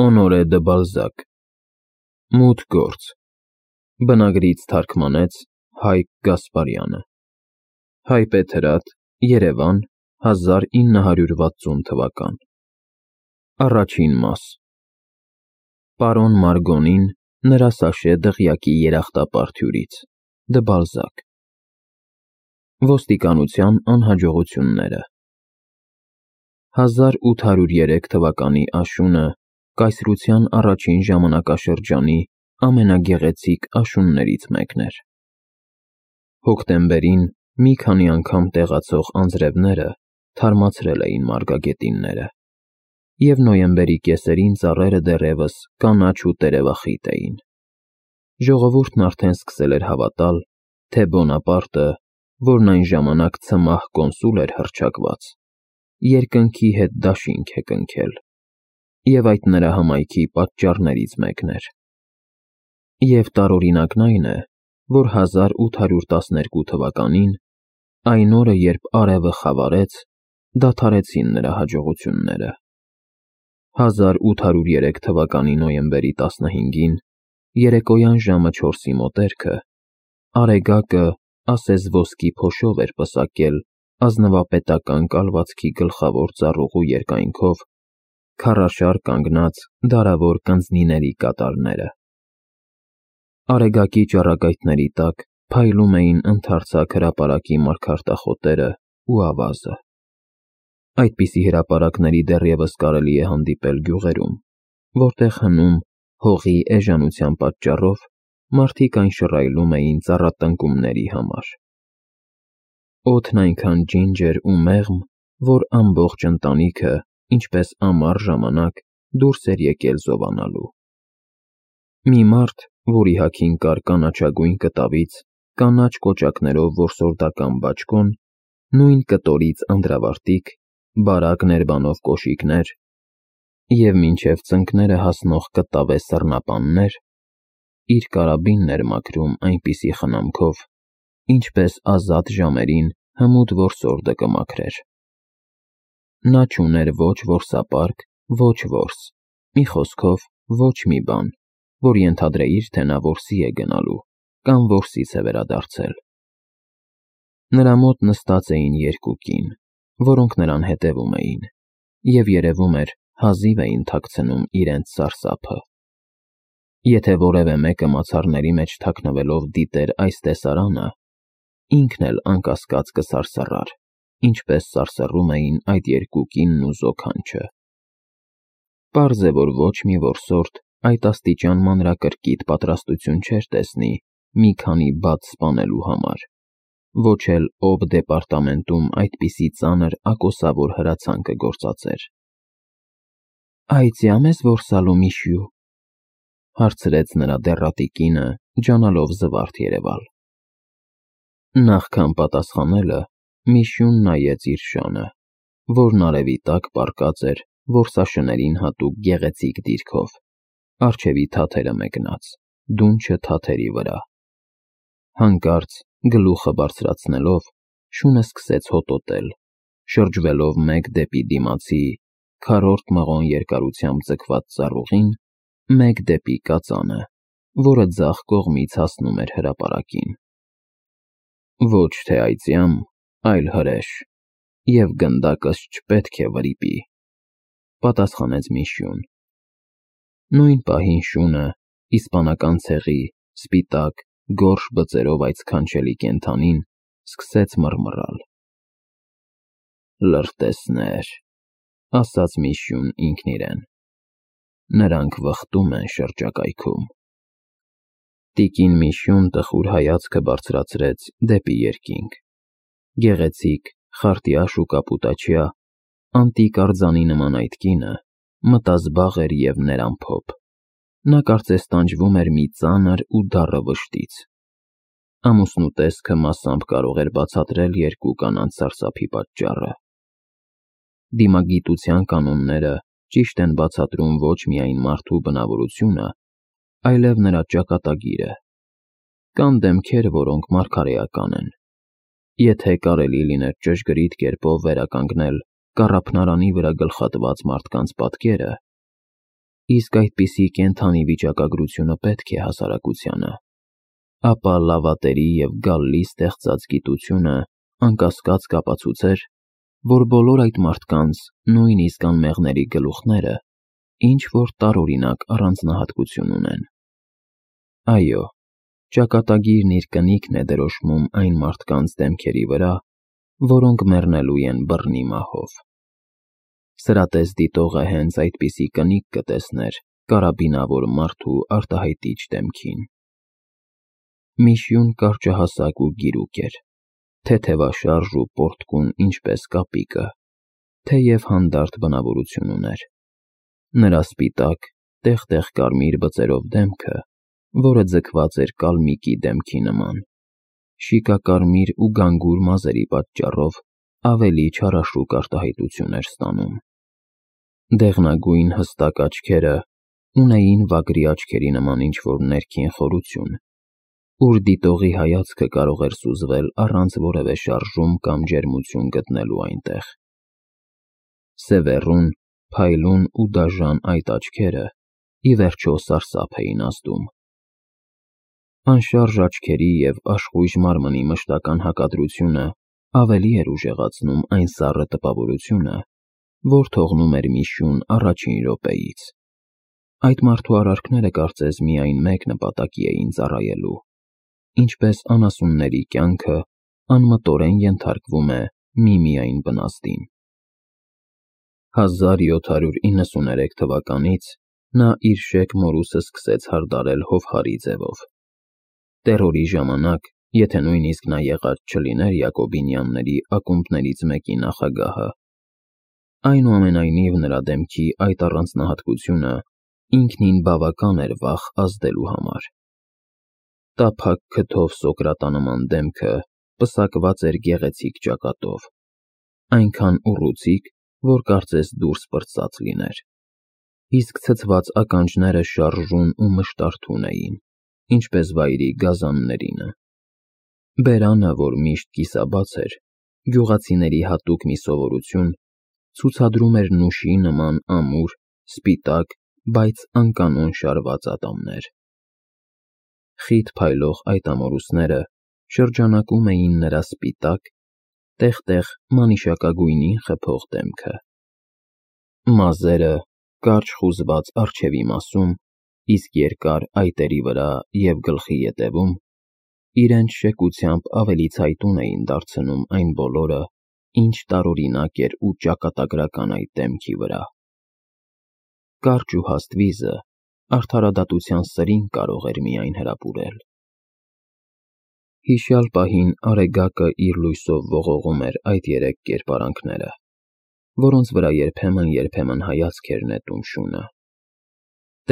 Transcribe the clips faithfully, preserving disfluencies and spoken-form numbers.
Օնորե դը Բալզակ Մութ գործ Բնագրից թարգմանեց Հայկ Գասպարյանը Հայպետ հրատ Երևան հազար ինը հարյուր վաթսուն թվական Առաջին մաս Պարոն Մարգոնին նրա Սաշե դղյակի երախտապարտ Դը Բալզակ Ոստիկանության անհաջողությունները հազար ութ հարյուր երեք թվականի աշունը կայսրության առաջին ժամանակաշրջանի ամենագեղեցիկ աշուններից մեկն էր։ Հոկտեմբերին մի քանի անգամ տեղացող անձրևները թարմացրել էին մարգագետինները, և նոյեմբերի կեսերին ծառերը դեռևս կանաչ ու տերևախիտ էին։ Ժողովուրդն արդեն սկսել էր հավատալ, թե Բոնապարտը, որն այն ժամանակ ցմահ կոնսուլ էր հռչակված, երկնքի հետ դաշինք է կնքել, և այդ նրա հմայքի պատճառներից մեկն էր։ Եվ տարօրինակն այն է, որ հազար ութ հարյուր տասներկու թվականին, այն օրը, երբ արևը խավարեց, դադարեցին նրա հաջողությունները։ Հազար ութ հարյուր երեք թվականի նոյեմբերի տասնհինգին, երեկոյան ժամը չորսի մոտերքը, Արեգակը ասես ոսկի փոշով էր պսակել ազնվապետական կալվածքի գլխավոր ծառուղու երկայնքով քարաշար կանգնած դարավոր կնձնիների կատարները։ Արեգակի ճառագայթների տակ փայլում էին ընդարձակ հրապարակի մարգարտախոտերն ու ավազը։ Այդպիսի հրապարակների դեռևս կարելի է հանդիպել գյուղերում, որտեղ հնում, հողի էժանության պատճառով, մարդիկ այն շռայլում էին ծառատնկումների համար։ Օդն այնքան ջինջր ու մեղմ, որ ամբողջ ընտանիքը, ինչպես ամառ ժամանակ, դուրս էր եկել զովանալու։ Մի մարդ, որի հագին կար կանաչագույն կտավից կանաչ կոճակներով որսորդական բաճկոն, նույն կտորից անդրավարտիք, բարակ ներբանով կոշիկներ և մինչև ծնկները հասնող կտավե սռնապաններ, իր կարաբինն էր մաքրում այնպիսի խնամքով, ինչպես ազատ ժամերին հմուտ որսորդը կմաքրեր։ Նա չուներ ոչ որսապարկ, ոչ որս, մի խոսքով ոչ մի բան, որ ենթադրեիր, թե նա որսի է գնալու կամ որսից է վերադարձել։ Նրա մոտ նստած էին երկու կին, որոնք նրան հետևում էին, և երևում էր, հազիվ էին թաքցնում իրենց սարսափը։ Եթե որևէ մեկը մացառների մեջ թաքնվելով դիտեր այս տեսարանը, ինքն էլ անկասկած կսարսռար, ինչպես սարսռում էին այդ երկու կինն ու զոքանչը։ Պարզ է, որ ոչ մի որսորդ այդ աստիճան մանրակրկիտ պատրաստություն չէր տեսնի մի քանի բաց սպանելու համար, ոչ էլ ով դեպարտամենտում այդպիսի ծանր ակոսավոր հրացանքը գործածեր։ «Այծյա՞մ ես որսալու, Միշյու», հարցրեց նրա դեռատի կինը, ջանալով զվարթ երևալ։ Նախքան պատասխանելը, Միշյուն նայեց իր շանը, որն արևի տակ պառկած էր որսաշներին հատուկ գեղեցիկ դիրքով, առջևի թաթերը մեկնած, դունչը թաթերի վրա։ Հանկարծ, գլուխը բարձրացնելով, շունը սկսեց հոտոտել, շրջվելով մեկ դեպի դիմացի, քառորդ մղոն երկարությամբ ձգված ծառուղին, մեկ դեպի կածանը, որը ձախ կողմից հասնում էր հրապարակին։ Ոչ թե այծյամ, այլ հրեշ, և գնդակս չպետք է վրիպի, պատասխանեց Միշյուն։ Նույն պահին շունը, իսպանական ցեղի, սպիտակ, գորշ բծերով այդ սքանչելի կենդանին, սկսեց մռմռալ։ «Լրտեսներ», ասաց Միշյուն ինքն իրեն, «նրանք վխտում են շրջակայքում»։ Տիկին Միշյուն տխուր հայացքը բարձրացրեց դեպի երկինք։ Գեղեցիկ, խարտյաշ ու կապուտաչյա, անտիկ արձանի նման այդ կինը մտազբաղ էր և ներամփոփ։ Նա կարծես տանջվում էր մի ծանր ու դառը վշտից։ Ամուսնու տեսքը մասամբ կարող էր բացատրել երկու կանանց սարսափի պատճառը։ Դիմագիտության կանոնները ճիշտ են բացատրում ոչ միայն մարդու բնավորությունը, այլև նրա ճակատագիրը։ Կան դեմքեր, որոնք մարգարեական են։ Եթե կարելի լիներ ճշգրիտ կերպով վերականգնել կառափնարանի վրա գլխատված մարդկանց պատկերը, իսկ այդպիսի կենդանի վիճակագրությունը պետք է հասարակությանը, ապա լավատերի և գալլի ստեղծած գիտությունը անկասկած կապացուցեր, որ բոլոր այդ մարդկանց, նույնիսկ անմեղների գլուխները ինչ-որ տարօրինակ առանձնահատկություն ունեն։ Այո, ճակատագիրն իր կնիքն է դրոշմում այն մարդկանց դեմքերի վրա, որոնք մեռնելու են բռնի մահով։ Սրատես դիտողը հենց այդպիսի կնիկ կտեսներ կարաբինավոր մարդու արտահայտիչ դեմքին։ Միշյուն կարճահասակ ու գիրուկ էր, թեթևաշարժ ու պոռթկուն ինչպես կապիկը, թեև հանդարտ բնավորություն ուներ։ Նրա սպիտակ, տեղ-տեղ կարմիր բծերով դեմքը, որը ձգված էր կալմիկի դեմքի նման, շիկակարմիր ու գանգուր մազերի պատճառով ավելի չարաշուկ արտահայտություն էր ստանում։ Դեղնագույն հստակ աչքերը ունեին վագրի աչքերի նման ինչ-որ ներքին խորություն, ուր դիտողի հայացքը կարող էր սուզվել առանց որևէ շարժում կամ ջերմություն գտնելու այնտեղ։ Սևեռուն, փայլուն ու դաժան այդ աչքերը ի վերջո սարսափ էին ազդում։ Անշարժ աչքերի և աշխույժ մարմնի մշտական հակադրությունը ավելի էր ուժեղացնում այն սառը տպավորությունը, որ թողնում էր Միշյուն առաջին րոպեից։ Այդ մարդու արարքները կարծես միայն մեկ նպատակի էին ծառայելու, ինչպես անասունների կյանքը անմտորեն ենթարկվում է միմիայն բնազդին։ հազար յոթ հարյուր իննսուներեք թվականից նա իր շեկ մորուսը սկսեց հարդարել Հովհարի ձևով։ Տերորի ժամանակ, եթե նույնիսկ նա եղած չլիներ Յակոբինյանների ակումբներից մեկի նախագահը, այնուամենայնիվ նրա դեմքի այդ առանձնահատկությունը ինքնին բավական էր վախ ազդելու համար։ Տափակ քթով Սոկրատանման դեմքը պսակված էր գեղեցիկ ճակատով, այնքան ուռուցիկ, որ կարծես դուրս պրծած լիներ, իսկ ցցված ականջները շարժուն ու մշտարթուն էին, ինչպես վայրի գազաններինը։ Բերանը, որ միշտ կիսաբաց էր, գյուղացիների հատուկ մի սովորություն, ցուցադրում էր նուշի նման ամուր, սպիտակ, բայց անկանոն շարված ատամներ։ Խիտ փայլող այդ ամորուսները շրջանակում էին նրա սպիտակ, տեղ-տեղ մանիշակագույնին խփող դեմքը։ Մազերը կարճ խուզված առջևի մասում, իսկ երկար այտերի վրա և գլխի ետևում իրենց շեկությամբ ավելի ցայտուն էին դարձնում այն բոլորը, ինչ տարօրինակ էր ու ճակատագրական այդ դեմքի վրա։ Կարճ ու հաստ վիզը արդարադատության սրինգ կարող էր միայն հրապուրել։ Հիշյալ պահին Արեգակը իր լույսով ողողում էր այդ երեք կերպարանքները, որոնց վրա երբեմն-երբեմն հայացք էր նետում շունը։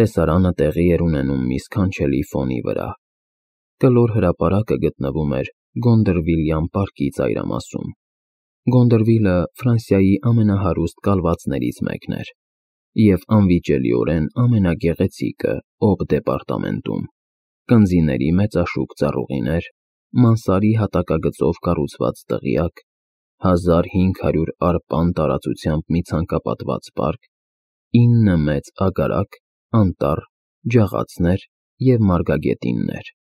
Տեսարանը տեղի էր ունենում մի սքանչելի ֆոնի վրա։ Կլոր հրապարակը գտնվում էր Գոնդրվիլյան պարկի ծայրամասում։ Գոնդրվիլը Ֆրանսիայի ամենահարուստ կալվածներից մեկն էր և անվիճելիորեն ամենագեղեցիկը Օբ դեպարտամենտում, կնզիների մեծաշուք ծառուղիներ, մանսարի հատակագծով կառուցված դղյակ, հազար հինգ հարյուր արպան տարածությամբ մի ցանկապատված պարկ, ինը մեծ ագարակ, անտառ, ջաղացներ և մարգագետիններ։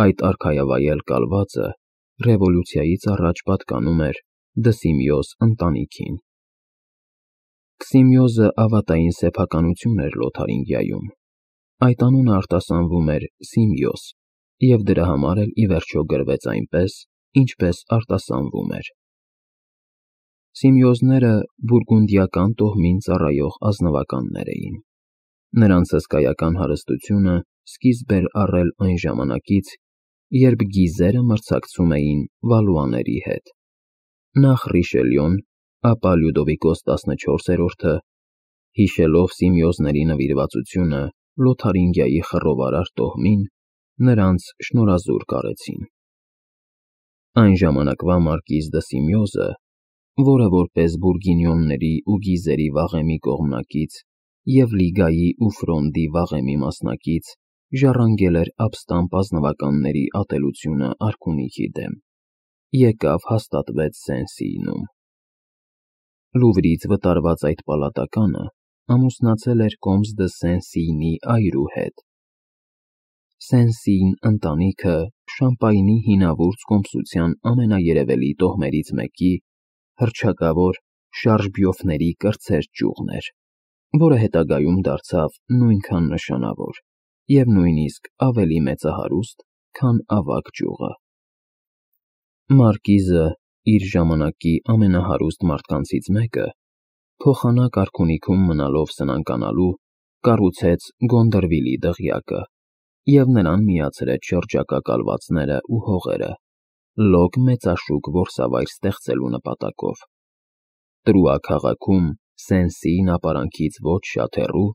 Այդ արքայավայել կալվածը ռևոլյուցիայից առաջ պատկանում էր Դսիմիոս ընտանիքին։ Քսիմիոզը ավատային սեփականություն էր Լոթարինգիայում։ Այդ անունը արտասանվում էր Սիմիոս և դրա համար էլ ի վերջո գրվեց այնպես, ինչպես արտասանվում էր։ Սիմիոզները բուրգունդիական տոհմին ծառայող ազնվականներ էին։ Նրանց հսկայական հարստությունը սկիզբ էր առել այն ժամանակից, երբ գիզերը մրցակցում էին վալուաների հետ։ Նախ Ռիշելյոն, ապա Լյուդովիկոս տասնչորսերորդը, հիշելով Սիմիոզների նվիրվածությունը Լոթարինգիայի խռովարար տոհմին, նրանց շնորհազուր կարեցին։ Այն ժամանակվա մարկիզ դը Սիմիոզը, որը որպես բուրգինյոնների ու գիզերի վաղեմի կողմնակից և Լիգայի ու Ֆրոնդի վաղեմի մասնակից, ժառանգել էր ապստամբ ազնվականների ատելությունը արքունիքի դեմ, եկավ հաստատվեց Սեն-Սիյնում։ Լուվրից վտարված այդ պալատականը ամուսնացել էր Կոմս դը Սեն-Սիյնի այրու հետ։ Սեն-Սիյն ընտանիքը Շամպայնի հինավուրց կոմսության ամենաերևելի տոհմերից մեկի, հռչակավոր Շարժբյոֆների կրտսեր ճյուղն էր, որը հետագայում դարձավ նույնքան նշանավոր և նույնիսկ ավելի մեծահարուստ, քան ավագ ճյուղը։ Մարկիզը, իր ժամանակի ամենահարուստ մարդկանցից մեկը, փոխանակ արքունիքում մնալով սնանկանալու, կառուցեց Գոնդրվիլի դղյակը և նրան միացրեց շրջակա կալվածները ու հողերը, լոկ մեծաշուկ որսավայր ստեղծելու նպատակով։ Տրուա քաղաքում, Սեն-Սիյն ապարանքից ոչ շատ հեռու,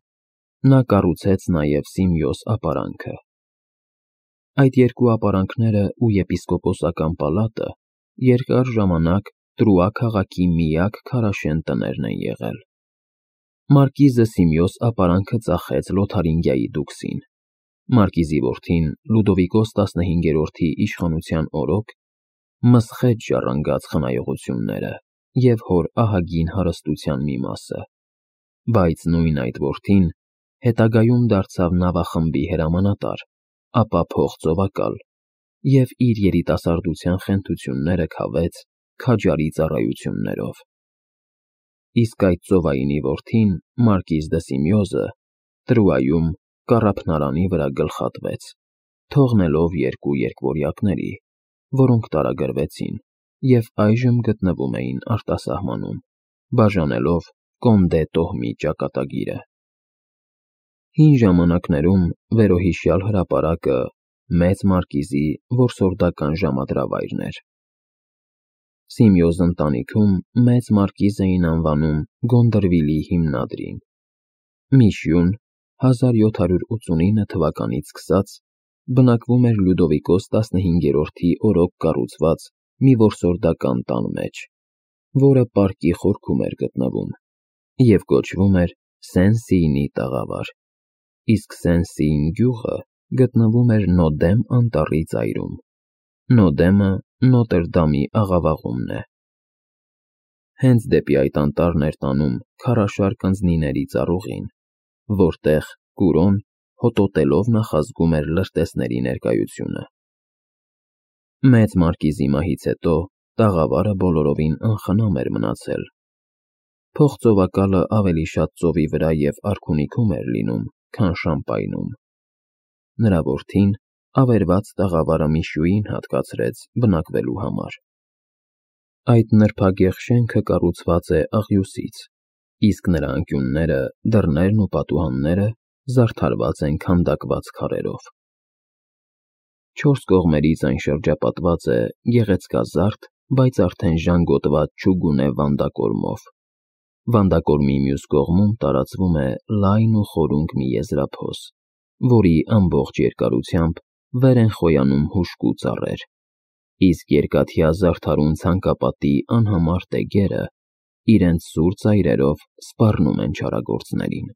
նա կառուցեց նաև Սիմեոս ապարանքը։ Այդ երկու ապարանքները ու եպիսկոպոսական պալատը երկար ժամանակ Տրուա քաղաքի միակ քարաշեն տներն են եղել։ Մարկիզը Սիմեոս ապարանքը ծախեց Լոթարինգիայի դուքսին։ Մարկիզի որդին Լյուդովիկոս տասնհինգերորդի իշխանության օրոք մսխեց ժառանգած խնայողությունները և հոր ահագին հարստության մի մասը, բայց նույն այդ որդին հետագայում դարձավ նավախմբի հրամանատար, ապա փողծովակալ և իր երիտասարդության խենթությունները քավեց քաջարի ծառայություններով։ Իսկ այդ ծովայինի որդին, Մարկիզ դը Սիմեոզը, Տրուայում կառափնարանի վրա գլխատվեց, թողնելով երկու երկվորյակների, որոնք տարագրվեցին և այժմ գտնվում էին արտասահմանում, բաժանելով Կոնդե տոհմի ճակատագիրը։ Հին ժամանակներում վերոհիշյալ հրապարակը Մեծ Մարկիզի որսորդական ժամադրավայրն էր։ Սիմեոս ընտանիքում Մեծ Մարկիզ էին անվանում Գոնդրվիլի հիմնադրին։ Միշյուն հազար յոթ հարյուր ութսունինը թվականից սկսած բնակվում էր Լյուդովիկոս տասնհինգերորդի օրոք կառուցված մի որսորդական տան մեջ, որը պարկի խորքում էր գտնվում և կոչվում էր Սեն-Սիյնի տաղավար, իսկ Սեն-Սիյն գյուղը գտնվում էր Նոդեմ անտառի ծայրում։ Նոդեմը Նոտրդամի աղավաղումն է։ Հենց դեպի այդ անտառն էր տանում քարաշար կնձնիների ծառուղին, որտեղ Կուրոն հոտոտելով նախազգում էր լրտեսների ներկայությունը։ Մեծ Մարկիզի մահից հետո տաղավարը բոլորովին անխնամ էր մնացել։ Փողծովակալը ավելի շատ ծովի վրա և արքունիքում էր լինում, քան Շամպայնում։ Նրա որդին ավերված տաղավարը Միշյուին հատկացրեց բնակվելու համար։ Այդ նրբագեղ շենքը կառուցված է աղյուսից, իսկ նրա անկյունները, դռներն ու պատուհանները զարդարված են քանդակված քարերով։ Չորս կողմերից այն շրջապատված է գեղեցկազարդ, բայց արդեն ժանգոտված չուգունե վանդակորմով։ Վանդակորմի մյուս կողմում տարածվում է լայն ու խորունկ մի եզրափոս, որի ամբողջ երկարությամբ վեր են խոյանում հուժկու ծառեր, իսկ երկաթյա զարդարուն ցանկապատի անհամար տեգերը իրենց սուր ծայրերով սպառնում են չարագործներին։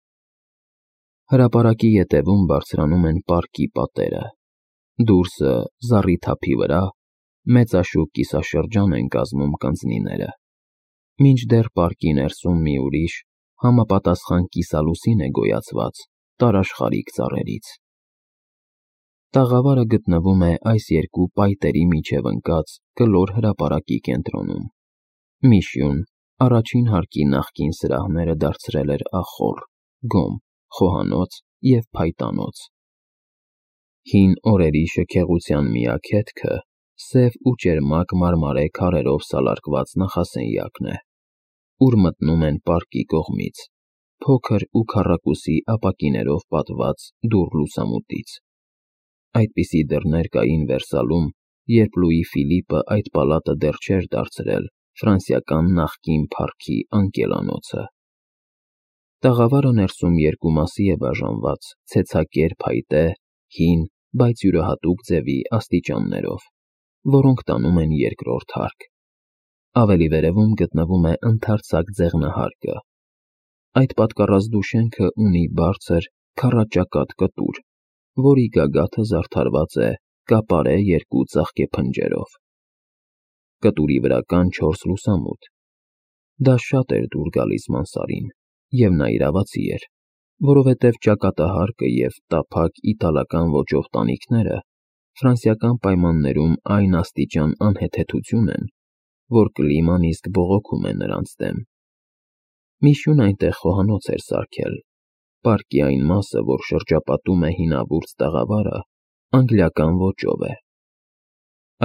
Հրապարակի ետևում բարձրանում են պարկի պատերը։ Դուրսը, զառիթափի վրա, մեծաշուկ կիսաշրջան են կազմում կնձնիները, մինչդեռ պարկի ներսում մի ուրիշ, համապատասխան կիսալուսին է գոյացված տարաշխարիք ծառերից։ Տաղավարը գտնվում է այս երկու պայտերի միջև ընկած կլոր հրապարակի կենտրոնում։ Միշյուն առաջին հարկի նախկին սրահները դարձրել էր ախոռ, գոմ, խոհանոց և փայտանոց։ Հին օրերի շքեղության միակ հետքը սև ու ճերմակ մարմարե քարերով սալարկված նախասենյակն է, ուր մտնում են պարկի կողմից, փոքր ու քառակուսի ապակիներով պատված դուռ լուսամուտից։ Այդպիսի դռներ կային Վերսալում, երբ Լուի Ֆիլիպը այդ պալատը դեռ չէր դարձրել ֆրանսիական նախկին փառքի անկելանոցը։ Տաղավարը ներսում երկու մասի է բաժանված ցեցակեր փայտե, հին, բայց յուրահատուկ ձևի աստիճաններով, որոնք տանում են երկրորդ հարկ։ Ավելի վերևում գտնվում է ընդարձակ ձեղնահարկը։ Այդ պատկառազդու շենքը ունի բարձր, քառաճակատ կտուր, որի գագաթը զարդարված է կապարե երկու ծաղկե փնջերով։ Կտուրի վրա կան չորս լուսամուտ։ Դա շատ էր դուր գալիս Մանսարին, և նա իրավացի էր, որովհետև ճակատահարկը և տափակ իտալական ոճով տանիքները ֆրանսիական պայմաններում այն աստիճան անհեթեթություն են, որ կլիման իսկ բողոքում է նրանց դեմ։ Միշյուն այնտեղ խոհանոց էր սարքել, պարկի այն մասը, որ շրջապատում է հինավուրց տաղավարը, անգլիական ոճով է։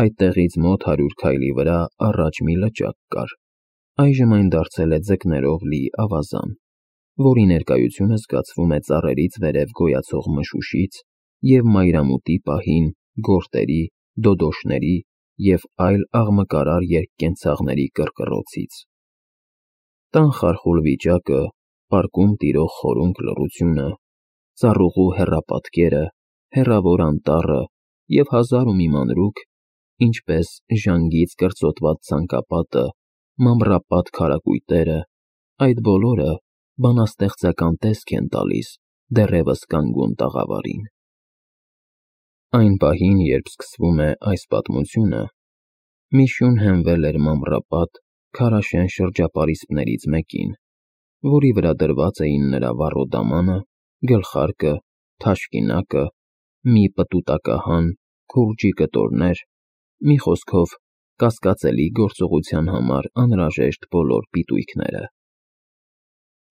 Այդտեղից մոտ հարյուր քայլի վրա առաջ մի լճակ կար, այժմ այն դարձել է ձկներով լի ավազան, որի ներկայությունը զգացվում է ծառերից վերև գոյացող մշուշից և մայրամուտի պահին գորտերի, դոդոշների և այլ աղմկարար երկկենցաղների կռկռոցից։ Տան խարխուլ վիճակը, պարկում տիրող խորունկ լռությունը, ծառուղու հեռապատկերը, հեռավոր անտառը և հազար ու մի մանրուք, ինչպես ժանգից կրծոտված ցանկապատը, մամռապատ քարակույտերը, այդ բոլորը բանաստեղծական տեսք են տալիս դեռևս կանգուն տաղավարին։ Այն պահին, երբ սկսվում է այս պատմությունը, Միշյուն հենվել էր մամռապատ, քարաշեն շրջապարիսպներից մեկին, որի վրա դրված էին նրա վառու դամանը, գլխարկը, թաշկինակը, մի պտուտակահան, քուրջի կտորներ, մի խոսքով, կասկածելի գործողության համար անհրաժեշտ բոլոր պիտույքները։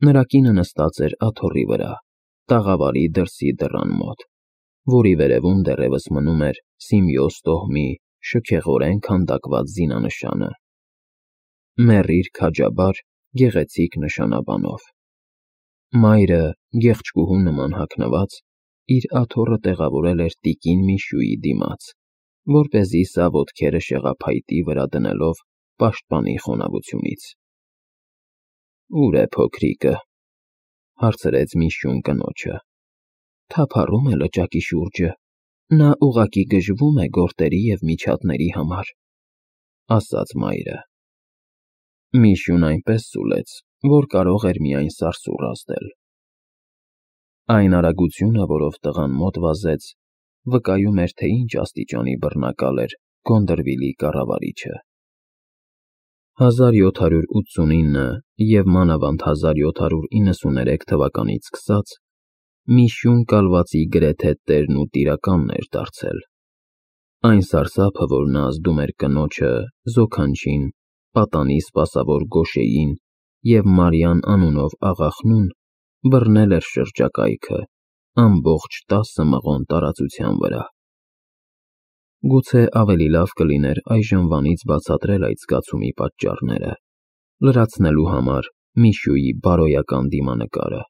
Նրա կինը նստած էր աթոռի վրա, տաղավարի դրսի դռան մոտ, որի վերևում դեռևս մնում էր Սիմեոս տոհմի շքեղորեն քանդակված զինանշանը։ Մեռիր քաջաբար, գեղեցիկ նշանաբանով։ Մայրը, գեղեցկուհու նման հագնված, իր աթոռը տեղավորել էր տիկին Միշյուի դիմաց, որպեսզի սա ոտքերը շեղափայտի վրա դնելով պաշտպանի խոնավությունից։ «Ո՞ւր է փոքրիկը», հարցրեց Միշյուն կնոջը։ «Թափառում է լճակի շուրջը, նա ուղղակի գժվում է գորտերի և միջատների համար», ասաց մայրը։ Միշյուն այնպես սուլեց, որ կարող էր միայն սարսուռ ազդել։ Այն արագությունը, որով տղան մոտ վազեց, վկայում էր, թե ինչ աստիճանի բռնակալ էր Գոնդրվիլի կառավարիչը։ հազար յոթ հարյուր ութսունինը և մանավանդ հազար յոթ հարյուր իննսուներեք թվականից սկսած Միշյուն կալվածի գրեթե տերն ու տիրականն էր դարձել։ Այն սարսափը, որ նա ազդում էր կնոջը, Զոքանչին, պատանի սպասավոր Գոշեին և Մարյան անունով աղախնուն, բռնել էր շրջակայքը ամբողջ տասը մղոն տարածության վրա։ Գուցե ավելի լավ կլիներ այժմվանից բացատրել այդ զգացումի պատճառները, լրացնելու համար Միշյուի բարոյական դիմանկարը։